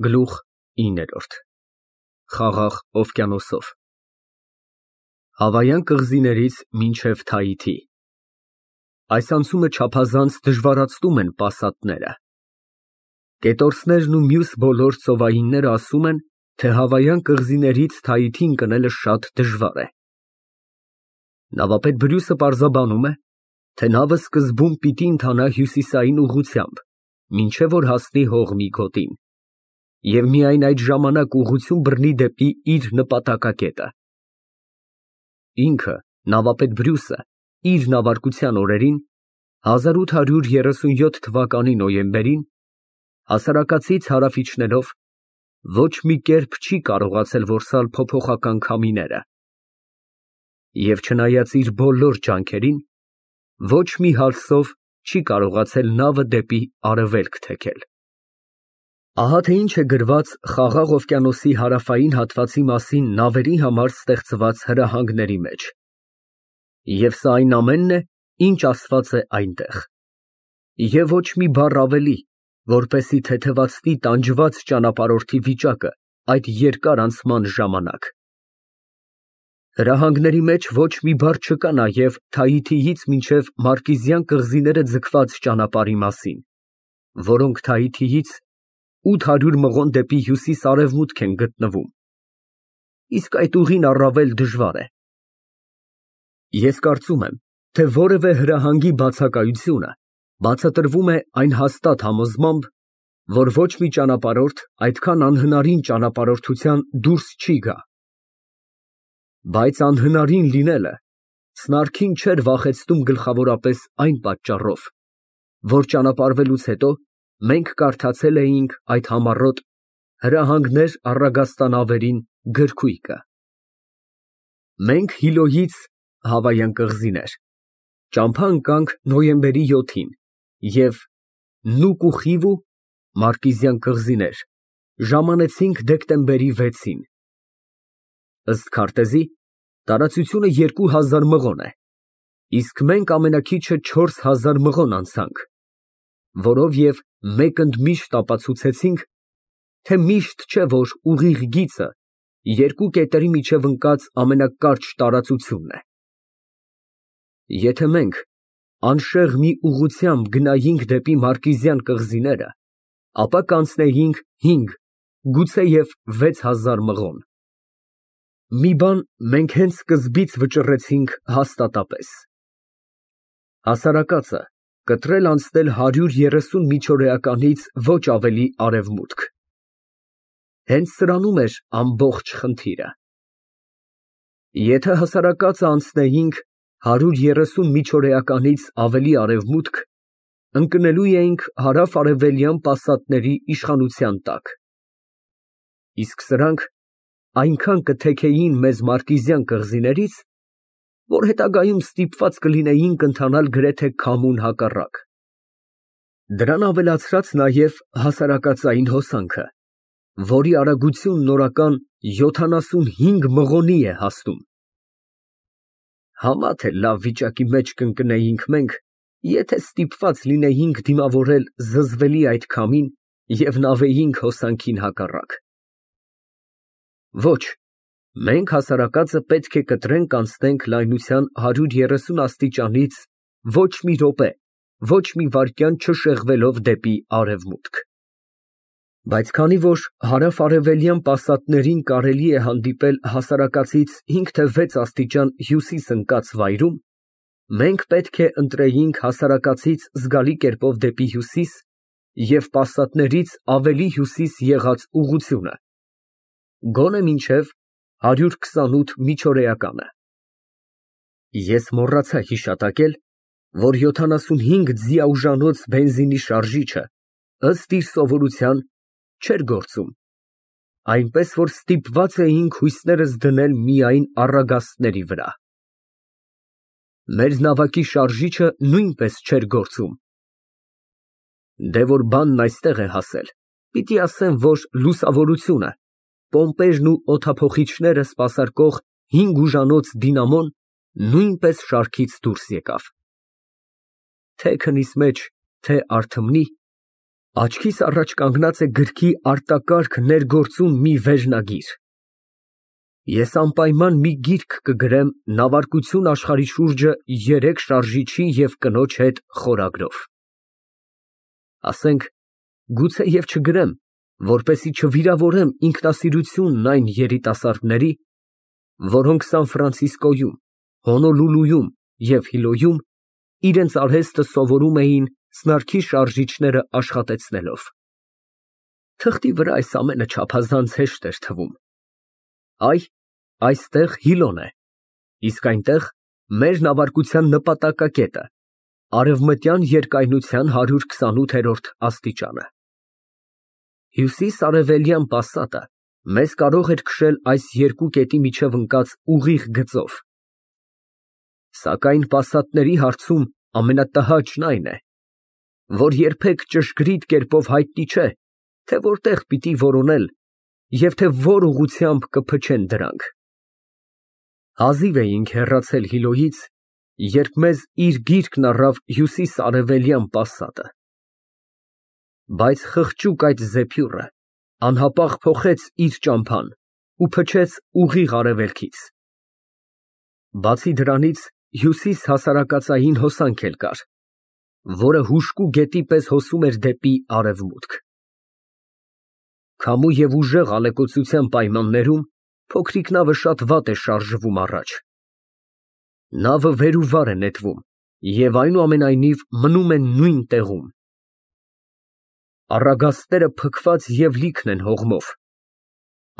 Գլուխ 9 Խաղաղ օվկիանոսով Հավայան կղզիներից մինչև Թայիթի Այս անցումը չափազանց դժվարացնում են պասատները։ Կետորսներն ու մյուս բոլոր ծովայինները ասում են, թե Հավայան կղզիներից Թայիթի ընկնելը շատ դժվար է։ Նավապետ Բրյուսը պարզաբանում է, թե նավը սկզբում պիտի ընթանա հյուսիսային ուղղությամբ, մինչև որ հասնի հողմի գոտին, և միայն այդ ժամանակ ուղղություն բռնի դեպի իր նպատակակետը։ Ինքը, նավապետ Բրյուսը, իր նավարկության օրերին, 1837 թվականի նոյեմբերին, հասարակածից հարավ իջնելով, ոչ մի կերպ չի կարողացել որսալ փոփոխական քամիները, և չնայած իր բոլոր ջանքերին, ոչ մի հալսով չի կարողացել նավը դեպի արևելք թեքել։ Ահա թե ինչ է գրված Խաղաղ օվկիանոսի հարավային հատվածի մասին նավերի համար ստեղծված հրահանգների մեջ։ Եվ սա այն ամենն է, ինչ ասված է այնտեղ։ Եվ ոչ մի բառ ավելի, որպեսզի թեթևացնի տանջված ճանապարհորդի վիճակը այդ երկար անցման ժամանակ։ Հրահանգների մեջ ոչ մի բառ չկա նաև Թայիթիից մինչև Մարկիզյան կղզիները ձգված ճանապարհի մասին, որոնք Թայիթիից 800 մղոն դեպի հյուսիս֊արևմուտք են գտնվում, իսկ այդ ուղին առավել դժվար է։ Ես կարծում եմ, թե որևէ հրահանգի բացակայությունը բացատրվում է այն հաստատ համոզմամբ, որ ոչ մի ճանապարհորդ այդքան անհնարին ճանապարհորդության դուրս չի գա։ Բայց անհնարին լինելը սնարքին չէր վախեցնում գլխավորապես այն պատճառով, որ ճանապարհվելուց հետո մենք կարդացել էինք այդ համառոտ «Հրահանգներ առագաստանավերին» գրքույկը։ Մենք Հիլոյից (Հավայան կղզիներ) ճամփա ընկանք նոյեմբերի 7-ին և Նուկ ու Խիվու (Մարկիզյան կղզիներ) ժամանեցինք դեկտեմբերի 6-ին։ Ըստ քարտեզի, տարածությունը 2000 մղոն է, իսկ մենք ամենաքիչը 4000 մղոն անցանք, որով և մեկ ընդմիշտ ապացուցեցինք, թե միշտ չէ, որ ուղիղ գիծը երկու կետերի միջև ընկած ամենակարճ տարածությունն է։ Եթե մենք անշեղ մի ուղղությամբ գնայինք դեպի Մարկիզյան կղզիները, ապա կանցնեինք 5, գուցեև 6000 մղոն։ Մի բան մենք հենց սկզբից վճռեցինք հաստատապես. հասարակածը կտրել անցնել 130 միջօրեականից ոչ ավելի արևմուտք։ Հենց սրանում էր ամբողջ խնդիրը։ Եթե հասարակածը անցնեինք 130 միջօրեականից ավելի արևմուտք, ընկնելու էինք հարավ֊արևելյան պասատների իշխանության տակ, իսկ սրանք այնքան կթեքեին մեզ Մարկիզյան կղզիներից, որ հետագայում ստիպված կլինեինք ընթանալ գրեթե քամուն հակառակ։ Դրան ավելացրած նաև հասարակածային հոսանքը, որի արագությունն օրական 75 մղոնի է հասնում։ Համա թե լավ վիճակի մեջ կընկնեինք մենք, եթե ստիպված լինեինք դիմավորել զզվելի այդ քամին և նավեինք հոսանքին հակառակ։ Ոչ, մենք հասարակածը պետք է կտրենք անցնենք լայնության 130 աստիճանից ոչ մի րոպե, ոչ մի վայրկյան չշեղվելով դեպի արևմուտք։ Բայց քանի որ հարավ֊արևելյան պասատներին կարելի է հանդիպել հասարակածից 5 թե 6 աստիճան հյուսիս ընկած վայրում, մենք պետք է ընտրեինք հասարակածից զգալի կերպով դեպի հյուսիս և պասատներից ավելի հյուսիս եղած ուղղությունը, գոնե մինչև 128 միջօրեականը։ Ես մոռացա հիշատակել, որ 75 ձիաուժանոց բենզինի շարժիչը, ըստ իր սովորության, չէր գործում, այնպես որ ստիպված էինք հույսներս դնել միայն առագաստների վրա։ Մեր նավակի շարժիչը նույնպես չէր գործում։ Դե որ բանն այստեղ է հասել, պիտի ասեմ, որ լուսավորությունը, պոմպերն ու օդափոխիչները սպասարկող 5 ուժանոց դինամոն նույնպես շարքից դուրս եկավ։ Թե քնիս մեջ, թե արթմնի, Աչքիս առաջ կանգնած է գրքի արտակարգ ներգործուն մի վերնագիր։ Ես անպայման մի գիրք կգրեմ նավարկություն աշխարհի շուրջը 3 շարժիչի և կնոջ հետ խորագրով։ Ասենք, գուցե և չգրեմ, որպեսզի չվիրավորեմ ինքնասիրությունն այն երիտասարդների, որոնք Սան Ֆրանցիսկոյում, Հոնոլուլուում և Հիլոյում իրենց արհեստը սովորում էին սնարքի շարժիչները աշխատեցնելով։ Թղթի վրա այս ամենը չափազանց հեշտ էր թվում։ Այստեղ Հիլոն է, իսկ այնտեղ մեր նավարկության նպատակակետը, արևմտյան երկայնության 128-րդ աստիճանը։ Հյուսիս֊արևելյան պասատը մեզ կարող էր քշել այս երկու կետի միջև ընկած ուղիղ գծով։ Սակայն պասատների հարցում ամենատհաճն այն է, որ երբեք ճշգրիտ կերպով հայտնի չէ, թե որտեղ պիտի որոնել և թե որ ուղղությամբ կփչեն դրանք։ Հազիվ էինք հեռացել Հիլոյից, երբ մեզ իր գիրկն առավ հյուսիս֊արևելյան պասատը։ Բայց խղճուկ այդ զեփյուռը անհապաղ փոխեց իր ճամփան ու փչեց ուղիղ արևելքից։ Բացի դրանից, հյուսիս հասարակածային հոսանք էլ կար, որը հուժկու գետի պես հոսում էր դեպի արևմուտք։ Քամու և ուժեղ ալեկոծության պայմաններում փոքրիկ նավը շատ վատ է շարժվում առաջ։ Նավը վեր ու վար է նետվում և այնուամենայնիվ մնում է նույն տեղում։ Առագաստները փքված և լիքն են հողմով։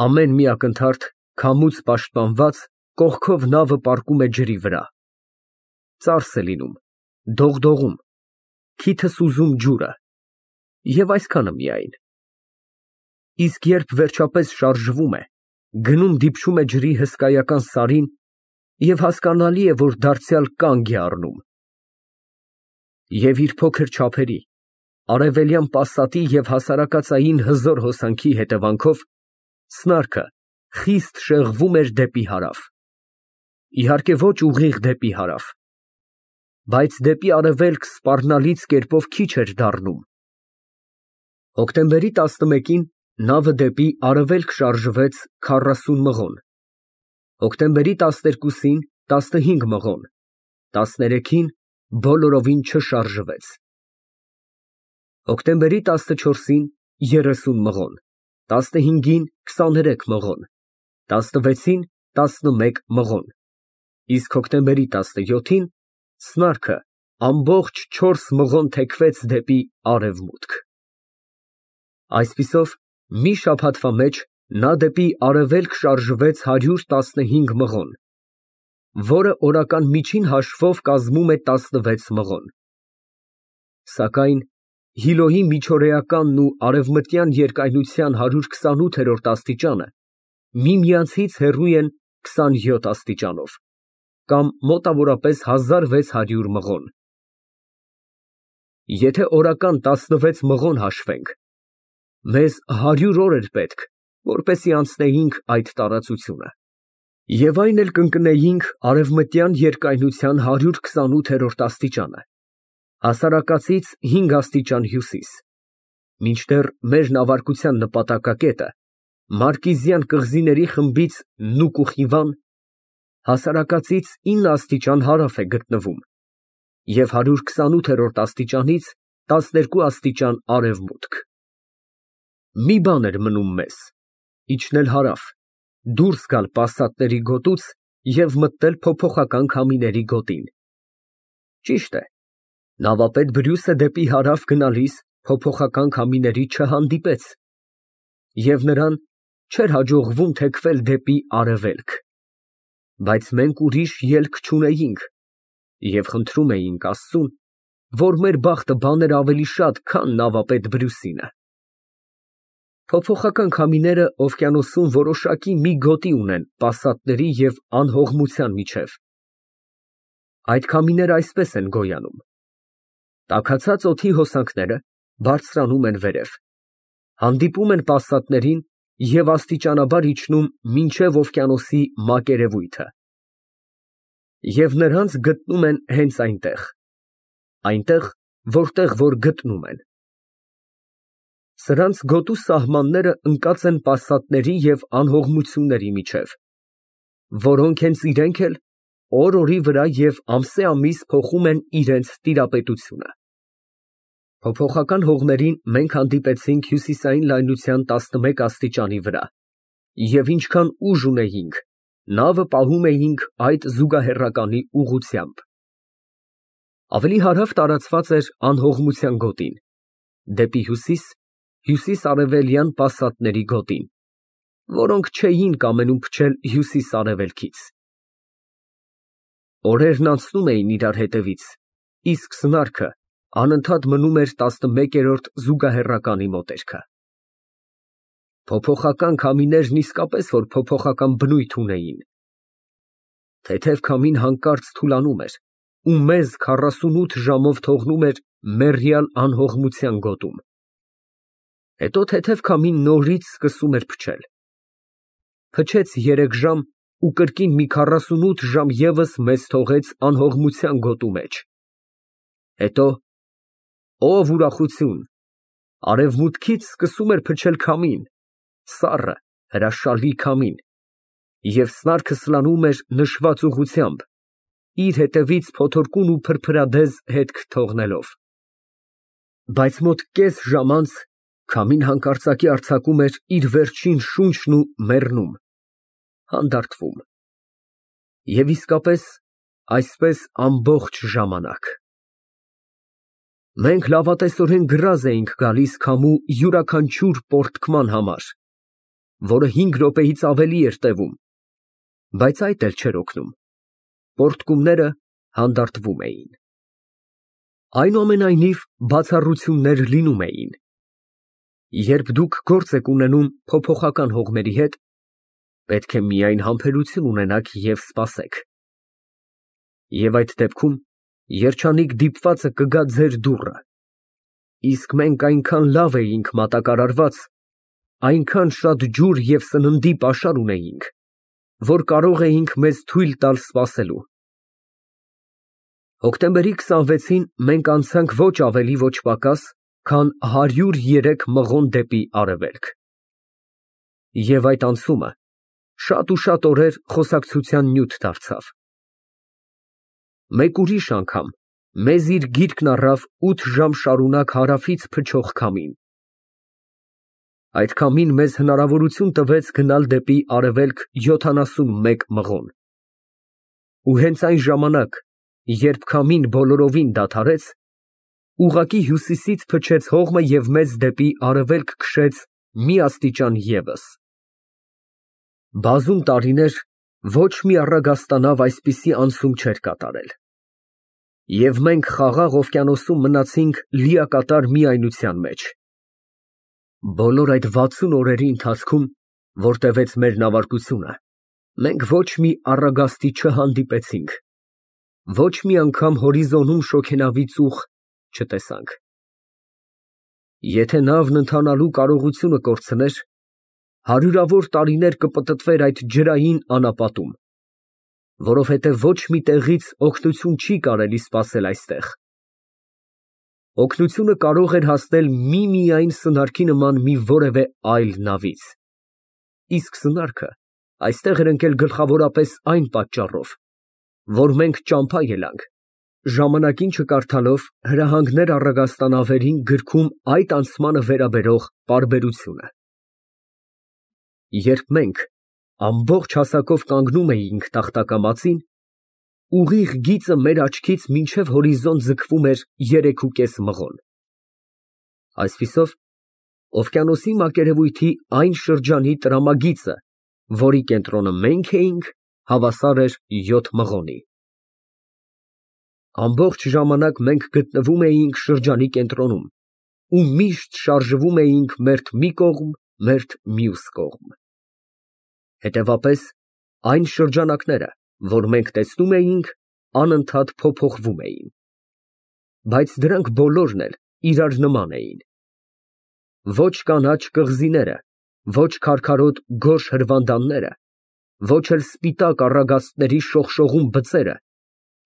Ամեն մի ակնթարթ քամուց պաշտպանված կողքով նավը պառկում է ջրի վրա։ Ծարս է լինում, դողդողում, քիթս ուզում ջուրը և այսքանը միայն։ Իսկ երբ վերջապես շարժվում է, գնում դիպչում է ջրի հսկայական սարին և հասկանալի է, որ դարձյալ կանգ է առնում։ Եվ իր փոքր չափերի, արևելյան պասատի և հասարակածային հզոր հոսանքի հետևանքով սնարքը խիստ շեղվում էր դեպի հարավ։ Իհարկե ոչ ուղիղ դեպի հարավ, բայց դեպի արևելք սպառնալից կերպով քիչ էր դառնում։ Հոկտեմբերի 11-ին նավը դեպի արևելք շարժվեց 40 մղոն, հոկտեմբերի 12-ին 15 մղոն, 13-ին բոլորովին չշարժվեց։ Հոկտեմբերի 14-ին 30 մղոն, 15-ին 23 մղոն, 16-ին 11 մղոն, իսկ հոկտեմբերի 17-ին սնարքը ամբողջ 4 մղոն թեքվեց դեպի արևմուտք։ Այսպիսով, մի շաբաթվա մեջ նա դեպի արևելք շարժվեց 115 մղոն, որը օրական միջին հաշվով կազմում է 16 մղոն։ Սակայն Հիլոյի միջօրեականն ու արևմտյան երկայնության 128-րդ աստիճանը միմյանցից հեռու են 27 աստիճանով, կամ մոտավորապես 1600 մղոն։ Եթե օրական 16 մղոն հաշվենք, մեզ 100 օր էր պետք, որպեսզի անցնեինք այդ տարածությունը, և այն էլ կընկնեինք արևմտյան երկայնության 128-րդ աստիճանը, հասարակածից 5 աստիճան հյուսիս, մինչդեռ մեր նավարկության նպատակակետը Մարկիզյան կղզիների խմբից Նուկուխիվան հասարակածից 9 աստիճան հարավ է գտնվում և 128-րդ աստիճանից 12 աստիճան արևմուտք։ Մի բան էր մնում մեզ. իջնել հարավ, դուրս գալ պասատների գոտուց և մտնել փոփոխական քամիների գոտին։ Ճիշտ է, նավապետ Բրյուսը դեպի հարավ գնալիս փոփոխական քամիների չհանդիպեց, և նրան չէր հաջողվում թեքվել դեպի արևելք, բայց մենք ուրիշ ելք չունեինք և խնդրում էինք Աստծուն, որ մեր բախտը բաներ ավելի շատ, քան նավապետ Բրյուսինը։ Փոփոխական քամիները օվկիանոսում որոշակի մի գոտի ունեն պասատների և անհողմության միջև։ Այդ քամիները այսպես են գոյանում. տաքացած օդի հոսանքները բարձրանում են վերև, հանդիպում են պասատներին և աստիճանաբար իջնում մինչև օվկիանոսի մակերևույթը, և նրանց գտնում են հենց այնտեղ, որտեղ որ գտնում են։ Սրանց գոտու սահմանները ընկած են պասատների և անհողմությունների միջև, որոնք հենց իրենք էլ օր֊օրի վրա և ամսե֊ամիս փոխում են իրենց տիրապետությունը։ Փոփոխական հողերին մենք հանդիպեցինք հյուսիսային լայնության 11 աստիճանի վրա, և ինչքան ուժ ունեինք, նավը պահում էինք այդ զուգահեռականի ուղղությամբ։ Ավելի հարավ տարածված էր անհողմության գոտին, դեպի հյուսիս, հյուսիս֊արևելյան պասատների գոտին, որոնք չէին կամենում փչել հյուսիս֊արևելքից։ Օրերն անցնում էին իրար հետևից, իսկ սնարքը անընդհատ մնում էր 11-րդ զուգահեռականի մոտերքը։ Փոփոխական քամիներն իսկապես որ փոփոխական բնույթ ունեին։ Թեթև քամին հանկարծ թուլանում էր ու մեզ 48 ժամով թողնում էր մեռյալ անհողմության գոտում։ Հետո թեթև քամին նորից սկսում էր փչել։ Փչեց 3 ժամ ու կրկին մի 48 ժամ ևս մեզ թողեց անհողմության գոտու մեջ։ Հետո, ով ուրախություն, արևմուտքից սկսում էր փչել քամին, սառը, հրաշալի քամին, և սնարքը սլանում էր նշված ուղղությամբ, իր հետևից փոթորկուն ու փրփրադեզ հետք թողնելով։ Բայց մոտ կես ժամ անց քամին հանկարծակի արձակում էր իր վերջին շունչն ու մեռնում, հանդարտվում։ Եվ իսկապես այսպես ամբողջ ժամանակ։ Մենք լավատեսորեն գրազ էինք գալիս քամու յուրաքանչյուր պոռթկման համար, որը 5 րոպեից ավելի էր տևում, բայց այդ էլ չէր օգնում, պոռթկումները հանդարտվում էին։ Այնուամենայնիվ, բացառություններ լինում էին։ Երբ դուք գործ եք ունենում փոփոխական հողմերի հետ, պետք է միայն համբերություն ունենաք և սպասեք։ Եվ այդ դեպքում երջանիկ դիպվածը կգա ձեր դուռը, իսկ մենք այնքան լավ էինք մատակարարված, այնքան շատ ջուր և սննդի պաշար ունեինք, որ կարող էինք մեզ թույլ տալ սպասելու։ Հոկտեմբերի 26-ին մենք անցանք ոչ ավելի, ոչ պակաս, քան 103 մղոն դեպի արևելք։ Եվ այդ անցումը շատ ու շատ օրեր խոսակցության նյութ դարձավ։ Մեկ ուրիշ անգամ մեզ իր գիրկն առավ 8 ժամ շարունակ հարավից փչող քամին։ Այդ քամին մեզ հնարավորություն տվեց գնալ դեպի արևելք 71 մղոն։ Ու հենց այն ժամանակ, երբ քամին բոլորովին դադարեց, ուղղակի հյուսիսից փչեց հողմը և մեզ դեպի արևելք քշեց մի աստիճան ևս։ Բազում տարիներ ոչ մի առագաստանավ այսպիսի անցում չէր կատարել։ Եվ մենք Խաղաղ օվկիանոսում մնացինք լիակատար միայնության մեջ։ Բոլոր այդ 60 օրերի ընթացքում, որ տևեց մեր նավարկությունը, մենք ոչ մի առագաստի չհանդիպեցինք, ոչ մի անգամ հորիզոնում շոգենավի ծուխ չտեսանք։ Եթե նավն ընթանալու կարողությունը կորցներ, հարյուրավոր տարիներ կպտտվեր այդ ջրային անապատում, որովհետև ոչ մի տեղից օգնություն չի կարելի սպասել այստեղ։ Օգնությունը կարող էր հասնել միմիայն սնարկի նման մի որևէ այլ նավից, իսկ սնարկը այստեղ էր ընկել գլխավորապես այն պատճառով, որ մենք ճամփա ելանք, ժամանակին չկարդալով հրահանգներ առագաստանավերին գրքում այդ անցմանը վերաբերող պարբերությունը։ Երբ մենք ամբողջ հասակով կանգնում էինք տախտակամածին, ուղիղ գիծը մեր աչքից մինչև հորիզոն ձգվում էր 3,5 մղոն։ Այսպիսով, օվկիանոսի մակերևույթի այն շրջանի տրամագիծը, որի կենտրոնը մենք էինք, հավասար էր 7 մղոնի։ Ամբողջ ժամանակ մենք գտնվում էինք շրջանի կենտրոնում ու միշտ շարժվում էինք մերթ մի կողմ, մերթ մյուս կողմ։ Հետևապես, այն շրջանակները, որ մենք տեսնում էինք, անընդհատ փոփոխվում էին։ Բայց դրանք բոլորն էլ իրար նման էին։ Ոչ կանաչ կղզիները, ոչ քարքարոտ գորշ հրվանդանները, ոչ էլ սպիտակ առագաստների շողշողուն բծերը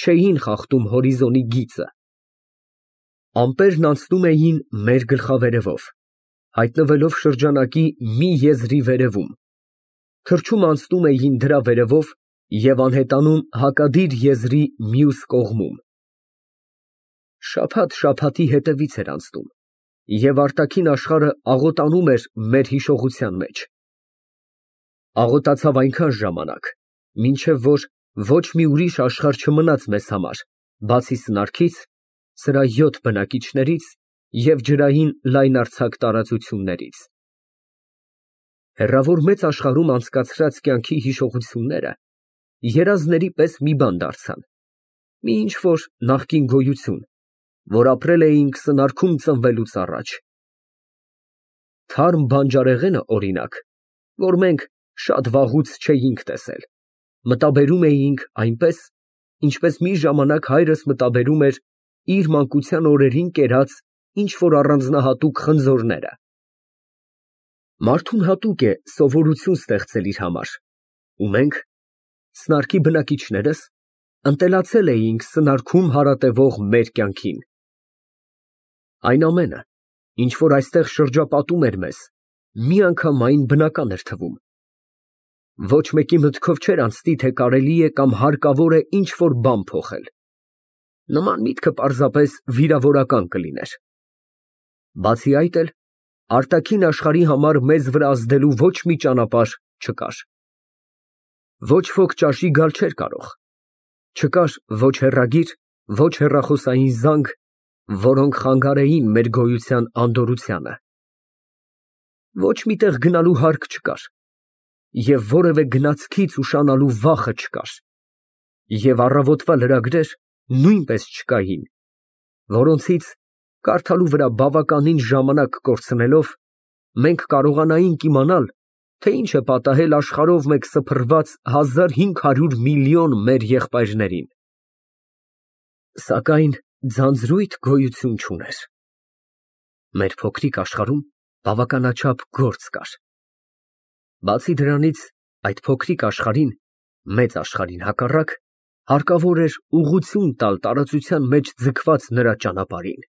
չէին խախտում հորիզոնի գիծը։ Ամպերն անցնում էին մեր գլխավերևով, հայտնվելով շրջանակի մի եզրի վերևում, թռչում անցնում էին դրա վերևով և անհետանում հակադիր եզրի մյուս կողմում։ Շաբաթ֊շաբաթի հետևից էր անցնում, և արտաքին աշխարհը աղոտանում էր մեր հիշողության մեջ։ Աղոտացավ այնքան ժամանակ, մինչև որ ոչ մի ուրիշ աշխարհ չմնաց մեզ համար, բացի սնարքից, սրա 7 բնակիչներից և ջրային լայնարձակ տարածություններից։ Հեռավոր մեծ աշխարհում անցկացրած կյանքի հիշողությունները երազների պես մի բան դարձան, մի ինչ֊որ նախկին գոյություն, որ ապրել էինք սնարքում ծնվելուց առաջ։ Թարմ բանջարեղենը, օրինակ, որ մենք շատ վաղուց չէինք տեսել, մտաբերում էինք այնպես, ինչպես մի ժամանակ հայրս մտաբերում էր իր մանկության օրերին կերած ինչ֊որ առանձնահատուկ խնձորները։ Մարդուն հատուկ է սովորություն ստեղծել իր համար, ու մենք, սնարկի բնակիչներս, ընտելացել էինք սնարքում հարատևող մեր կյանքին։ Այն ամենը, ինչ որ այստեղ շրջապատում էր մեզ, միանգամայն բնական էր թվում։ Ոչ մեկի մտքով չէր անցնի, թե կարելի է կամ հարկավոր է ինչ֊որ բան փոխել։ Նման միտքը պարզապես վիրավորական կլիներ։ Բացի այդ էլ, արտաքին աշխարհի համար մեզ վրա ազդելու ոչ մի ճանապարհ չկար։ Ոչ ոք ճաշի գալ չէր կարող։ Չկար ոչ հեռագիր, ոչ հեռախոսային զանգ, որոնք խանգարեին մեր գոյության անդորրությանը։ Ոչ մի տեղ գնալու հարկ չկար, և որևէ գնացքից ուշանալու վախը չկար, և առավոտվա լրագրեր նույնպես չկային, որոնցից, կարդալու վրա բավականին ժամանակ կորցնելով, մենք կարողանայինք իմանալ, թե ինչ է պատահել աշխարհով մեկ սփռված 1500 միլիոն մեր եղբայրներին։ Սակայն ձանձրույթ գոյություն չուներ։ Մեր փոքրիկ աշխարհում բավականաչափ գործ կար։ Բացի դրանից, այդ փոքրիկ աշխարհին, մեծ աշխարհին հակառակ, հարկավոր էր ուղղություն տալ տարածության մեջ ձգված նրա ճանապարհին։